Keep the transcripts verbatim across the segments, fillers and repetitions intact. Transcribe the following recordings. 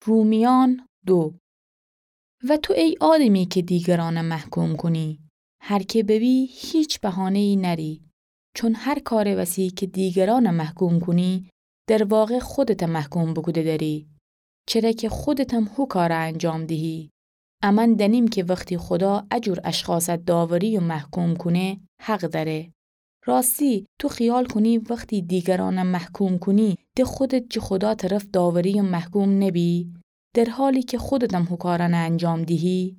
رومیان دو. و تو ای آدمی که دیگرانه محکوم کونی، هر که ببی هیچ بهانه‌ای نری، چون هر کار وسی که دیگرانه محکوم کونی، در واقع خودته محکوم بوکوده دری، چره که خودتم هو کاره انجام دهی. امأن دأنیم که وختی خودا اجور اشخاصه داوری و محکوم کونه، حق دأره. راستی، تو خیال کونی وختی دیگرانه محکوم کونی، ده خودت جه خودا طرف داوری و محکوم نبی، در حالی که خودتم هو کارأنه انجام دهی؟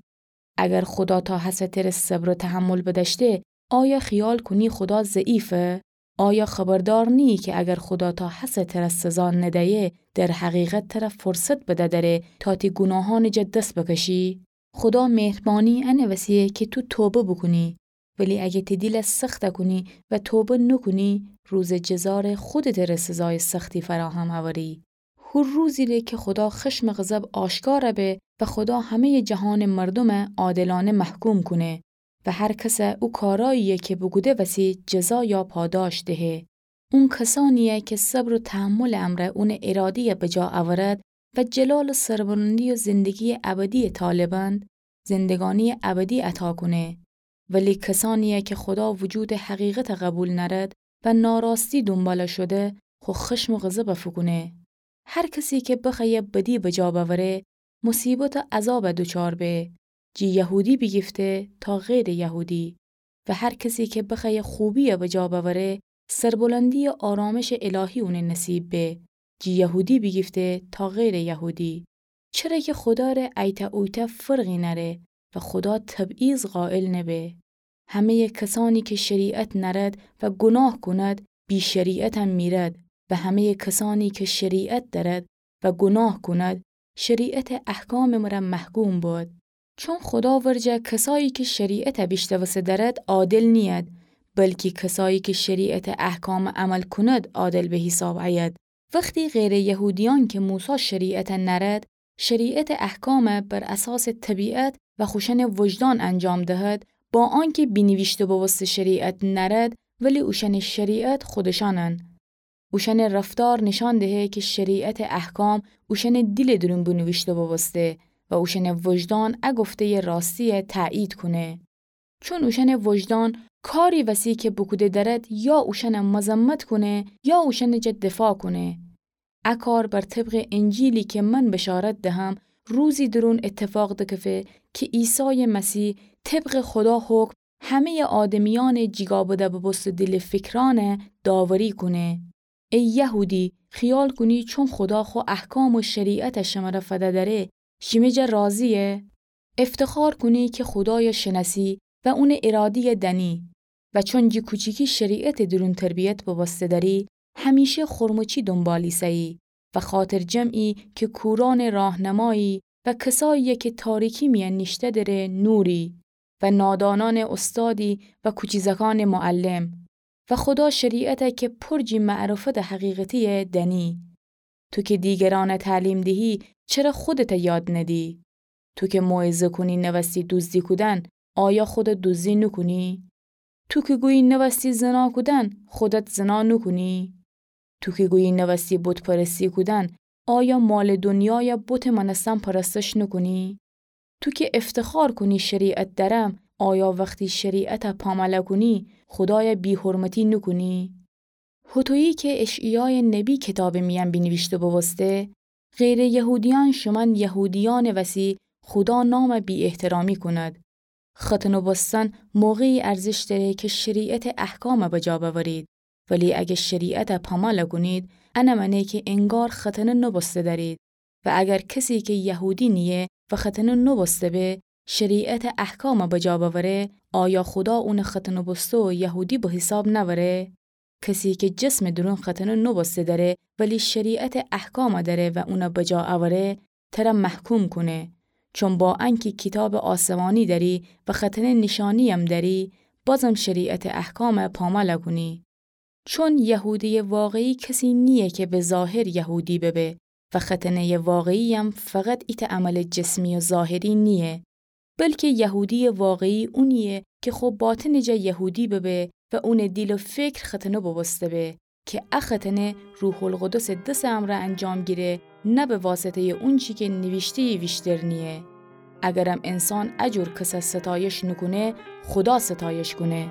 اگر خودا تا هسه تره صبر و تحمل بدأشته، آیا خیال کونی خودا ضعیفه؟ آیا خبردار نیی که اگر خودا تا هسه تره سزا ندیه، در حقیقت تره فرصت بده دره تا تی گوناهأنٚ جا دس بکشی؟ خودا مهربانی انٚ وسیه که تو توبه بوکونی، ولی اگه تی دیله سخته کونی و توبه نوکونی، روزٚ جزا ره خودته ره سزایٚ سختی فراهم اوری. هو روزی ره که خودا خشمٚ غضب آشکار به و خودا همه‌یٚ جهانٚ مردومه عادلانه محکوم کونه و هر کسه او کارأیی‌یه که بوکوده وسی جزا یا پاداش دهه. اون کسأنی‌یه که صبر و تحملٚ امرأ اونٚ اراده‌یه بجا اورد و جلال و سربلندی و زندگی‌یٚ ابدی‌یٚ طالبند، زندگانی‌یٚ ابدی عطا کونه. ولی کسأنی‌یه که خودا وجودٚ حقیقته قبول نأرد و ناراستی دونبال شوده، خو خشم و غضبه فوکونه. هر کسی که بخوأیه بدی بجا بأوره، مصیبت و عذابه دوچار به، جی یهودی بیگیفته تا غیرٚ یهودی. و هر کسی که بخوأیه خوبی‌یه بجا بأوره، سربلندی و آرامشٚ الهی اونٚ نصیب به، جی یهودی بیگیفته تا غیرٚ یهودی. چره که خودا ره ایتأ اویتأ فرقی نأره و خودا تبعیض قائل نبه. همه‌یٚ کسأنی که شریعت نأرد و گوناه کوند، بی شریعتم میرد و همه‌یٚ کسأنی که شریعت دأرد و گوناه کوند، شریعتٚ احکامٚ مره محکوم بود. چون خودا ورجه کسایی که شریعته بیشنوسته دأرد عادل نیید، بلکی کسایی که شریعتٚ احکامه عمل کوند عادل به حیساب ایید. وختی غیرٚ یهودیأن که موسی شریعته نأرد، شریعتٚ احکامه بر اساسٚ طبیعت و خوشأنٚ وجدان انجام دهد، با آنکه بینیویشته بوبوسته شریعت نأرد، ولی اوشأنٚ شریعت خودشأنن. اوشأنٚ رفتار نیشأن دهه که شریعتٚ احکام اوشأنٚ دیلٚ دورون بینیویشته بوبوسته و اوشأنٚ وجدان ا گفته‌یٚ راستی‌یه تأیید کونه. چون اوشأنٚ وجدان کاری وسی که بوکوده دأرد یا اوشأنه مذمت کونه یا اوشأنٚ جا دفاع کونه. ا کار بر طبقٚ انجیلی که من بشارت دهم، روزی دورون اتفاق دکفه که عیسایٚ مسیح طبقٚ خودا حکم همه‌یٚ آدمیأنٚ جیگا بده بوبوسته دیل و فکرأنه داوری کونه. ای یهودی، خیال کونی چون خودا خو احکام و شریعته شمره فده دأره، شیمه جا راضییه؟ افتخار کونی که خودایه شنأسی و اونٚ اراده‌یه دأنی و چون جی کوچیکی شریعتٚ دورون تربیت بوبوسته دأری، همیشه خرمچی دونبال ایسه‌یی و خاطرجمعی که کورأنٚ راهنمایی و کسایی‌یه که تاریکی میأن نیشته‌دره نوری و نادانأنٚ استادی و کوچیزکأنٚ معلم و خودا شریعته که پر جی معرفتٚ حقیقتی‌یه دأنی. تو که دیگرأنه تعلیم دهی، چره خودته یاد ندی؟ تو که موعظه کونی نوستی دوزدی کودن، آیا خودت دوزدی نوکونی؟ تو که گویی نوستی زنا کودن، خودت زنا نوکونی؟ تو که گویی نوستی بت‌پرستی کودن، آیا مالٚ دنیایه بتٚ مأنستن پرستش نوکونی؟ تو که افتخار کونی شریعت دأرم، آیا وختی شریعته پامأله کونی، خودایه بی‌حرمتی نوکونی؟ هوطویی که اشعیایٚ نبی کیتابٚ میأن بینیویشته بوبوسته، غیرٚ یهودیأن شومأن یهودیأنٚ وسی خودا نامه بی‌احترامی کوند. ختنه بوستن موقعی ارزش دأره که شریعتٚ احکامه بجا بأورید، ولی اگر شریعته پامأله کونید، انه مأنه که انگار ختنه نوبوسته دأرید. و اگر کسی که یهودی نییه و ختنه نوبوسته به، شریعتٚ احکامه بجا بأوره، آیا خودا اونه ختنه بوسته و یهودی به حیساب نأوره؟ کسی که جسمٚ دورون ختنه نوبوسته دأره، ولی شریعتٚ احکامه دأره و اونه بجا اوره، تره محکوم کونه. چون با انکی کیتابٚ آسمانی دأری و ختنه نیشانییم دأری، بازم شریعتٚ احکامه پامأله کونی. چون یهودیٚ واقعی کسی نییه که به ظاهر یهودی ببه و ختنه‌یٚ واقعییم فقط ایتأ عملٚ جسمی و ظاهری نییه، بلکه یهودیٚ واقعی اونییه که خو باطنٚ جا یهودی ببه و اونٚ دیل و فکر ختنه بوبوسته به، که ا ختنه روح‌القدسٚ دسٚ امرأ انجام گیره نه به واسطه‌یٚ اونچی کی نیویشته‌یی ویشتر نییه. اگرم انسان ا جور کسه ستایش نوکونه، خودا ستایش کونه.